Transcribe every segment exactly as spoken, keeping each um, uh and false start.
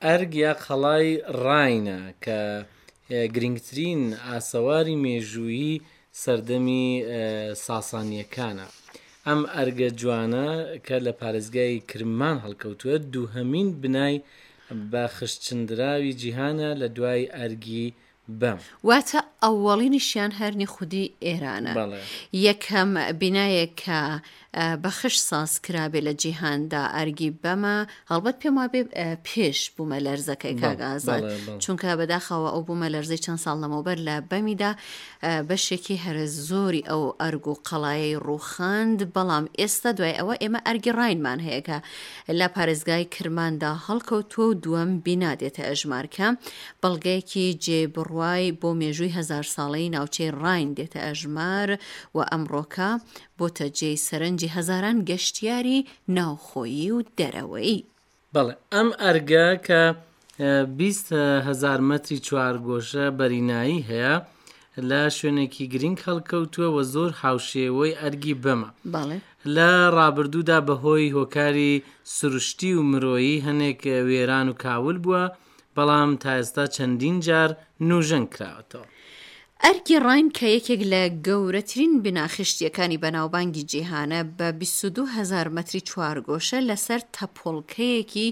ئەرگ یا قەڵای ڕاینە کە گرنگترین ئاسەواری مێژوویی سەردەمی ساسانییەکانە. ئەم ئەرگە جوانە کە لە پارێزگای کرمان هەڵکەوتووە، دووهەمین بنای بە خشتچندراوی جیهانە لە دوای ئەرگی بەم. واتە ئەوەڵینیشیان هەر نی خودی ئێرانە. بەڵێ. یەکەم بینایەک کە بە خشت ساز کرابێ لە جیهاندا ئەرگی بەمە، هەڵبەت پێم وابێ پێش بوومەلەرزەکەی کاک ئازاد، چونکە بەداخەوە ئەو بوومەلەرزەی چەند ساڵ لەمەوبەر لە بەمیدا بەشێکی هەرە زۆری ئەو ئەرگ و قەڵایەی ڕووخاند، بەڵام ئێستا دوای ئەوە ئێمە ئەرگی ڕاینمان هەیە کە لە پارێزگای کرماندا هەڵکەوتووە و دووەم بینا دێتە ئەژمار کە بەڵگەیەکی جێ بڕوای بۆ مێژووی هەزار ساڵەی ناوچەی ڕاین دێتە ئەژمار و ئەمڕۆکە بۆتە جێی سەرنجی هەزاران گەشتیاری ناوخۆیی و دەرەوەیی. بەڵێ ئەم ئەرگە کە بیست هەزار مەتری چوارگۆشە بەرینایی هەیە لە شوێنێکی گرنگ هەڵکەوتووە و زۆر هاوشێوەی ئەرگی بەمە. بەڵێ. لە ڕابردوودا بەهۆی هۆکاری سروشتی و مرۆیی هەنێک وێران و کاول بووە، بەڵام تا ئێستا چەندین جار نوژەن کراوەتەوە. ئەرکی ڕاین کە یەکێک لە گەورەترین بینا خشتییەکانی بەناوبانگی جیهانە، بە بیست و دوو هەزار مەتری چوارگۆشە لەسەر تەپۆڵکەیەکی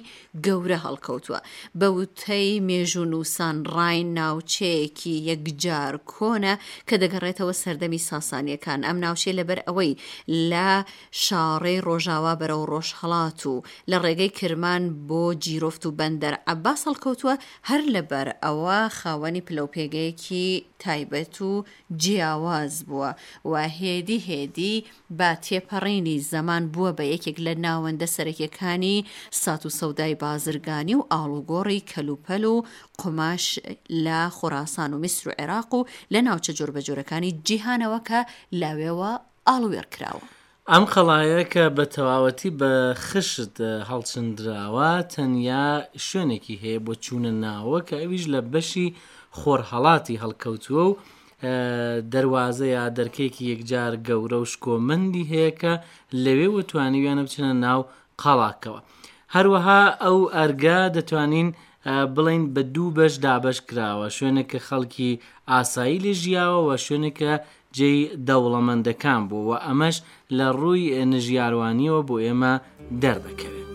گەورە هەڵکەوتووە. بە وتەی مێژوونووسان ڕاین ناوچەیەکی یەکجار کۆنە کە دەگەڕێتەوە سەردەمی ساسانییەکان. ئەم ناوچەیە لەبەر ئەوەی لە شاڕێی ڕۆژاوا بەرەو ڕۆژهەڵات و لە ڕێگەی کرمان بۆ جیرۆفت و بەندەر عەباس هەڵکەوتووە، هەر لەبەر ئەوە خاوەنی پلەوپێگەیەکی تایبەت و جیاواز بووە و هێدی هێدی بە تێپەڕینی زەمان بووە بە یەکێک لە ناوەندە سەرەکیەکانی سات و سەودای بازرگانی و ئاڵوگۆڕی کەلوپەل و قوماش لە خۆراسان و میسر و عێراق و لە ناوچە جۆربەجۆرەکانی جیهانەوە کە لەوێوە ئاڵووێڕ کراوە. ئەم قەڵایە کە بە تەواوەتی بە خشت هەڵچندراوە تەنیا شوێنێکی هەیە بۆ چوونە ناوە کە ئەویش لە بەشی خۆرهەڵاتی هەڵکەوتووە و دەروازە یا دەرکێکی یەکجار گەورە و شکۆمەندی هەیە کە لەوێوە توانیویانە بچنە ناو قەڵاکەوە. هەروەها ئەو ئەرگە دەتوانین بڵین بە دوو بەش دابەش کراوە، شوێنێک کە خەڵکی ئاسایی لێ ژیاوە و شوێنێک کە جێی دەوڵەمەندەکان بوو و ئەمەش لە ڕووی نژیاروانیەوە بۆ ئێمە دەردەکەوێت.